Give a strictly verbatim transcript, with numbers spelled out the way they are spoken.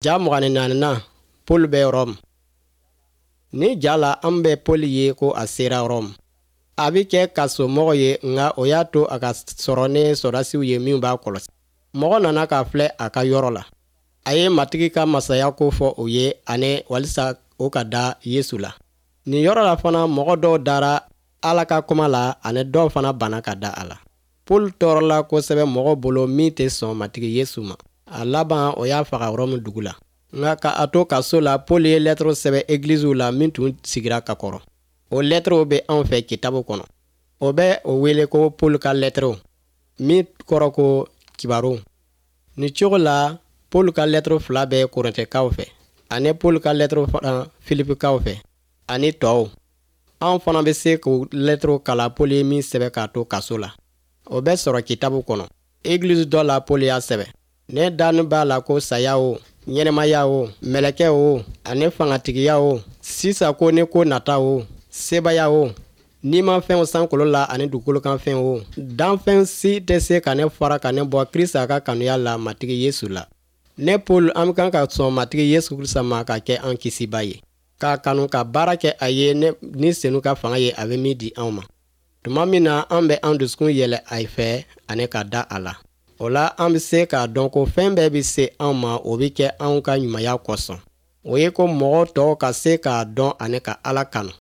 Ja mugan ni naaninan, Paul bɛ Rɔmu. Ni ja la, an bɛ Paul ye ko a sera Rɔmu. A bɛ kɛ kasomɔgɔ ye, nka o y'a to a ka sɔrɔ ni sɔrɔdasiw ye minnu b'a kɔlɔsi. Mɔgɔ nana k'a filɛ a ka yɔrɔ la. A ye Matigi ka masaya ko fɔ o ye ani walisa o ka da Yesu la. Nin yɔrɔ la fana, mɔgɔ dɔw dara Ala ka kuma la ani dɔw fana banna ka da a la. Paul tɔɔrɔla kosɛbɛ mɔgɔw bolo min tɛ sɔn Matigi Yesu ma. A laban, o y'a faga Rɔmu dugu la. Nka ka a to kaso la, Paul ye lɛtɛrɛw sɛbɛn egiliziw la min tun sigira ka kɔrɔ. O lɛtɛrɛw bɛ anw fɛ kitabu kɔnɔ. O bɛ o wele ko Paul ka lɛtɛrɛw, min kɔrɔ ko kibaru. Nin cogo la, Paul ka lɛtɛrɛ fila bɛ Korintɛkaw fɛ, ani Paul ka lɛtɛrɛ fana Filipikaw fɛ, ani tɔw. Anw fana bɛ se k'o lɛtɛrɛw kalan Paul ye min sɛbɛn k'a to kaso la. O bɛ sɔrɔ kitabu kɔnɔ. Egilizi dɔ la, Paul y'a sɛbɛn: Ne dani b'a la ko saya o, ɲɛnɛmaya o, mɛlɛkɛ o, ani fangatigiya o, sisan ko ni ko nata o, sebaya o, nimafɛnw sankolo la ani dugukolo kan fɛnw o, danfɛn si tɛ se ka ne fara ka ne bɔ Krista ka kanuya la Matigi Yesu la. Ne Paul, an kan ka sɔn Matigi Yesu Krista ma ka kɛ an kisiba ye, k'a kanu ka baara kɛ a ye ni Senu ka fanga ye a bɛ min di anw ma. Tuma min na an bɛ an dusukun yɛlɛ a fɛ ani ka da a la, o la an bɛ se k'a dɔn ko fɛn bɛɛ bɛ se anw ma, o bɛ kɛ anw ka ɲumanya kosɔn. O ye ko mɔgɔ tɔw ka se k'a dɔn ani ka Ala kanu.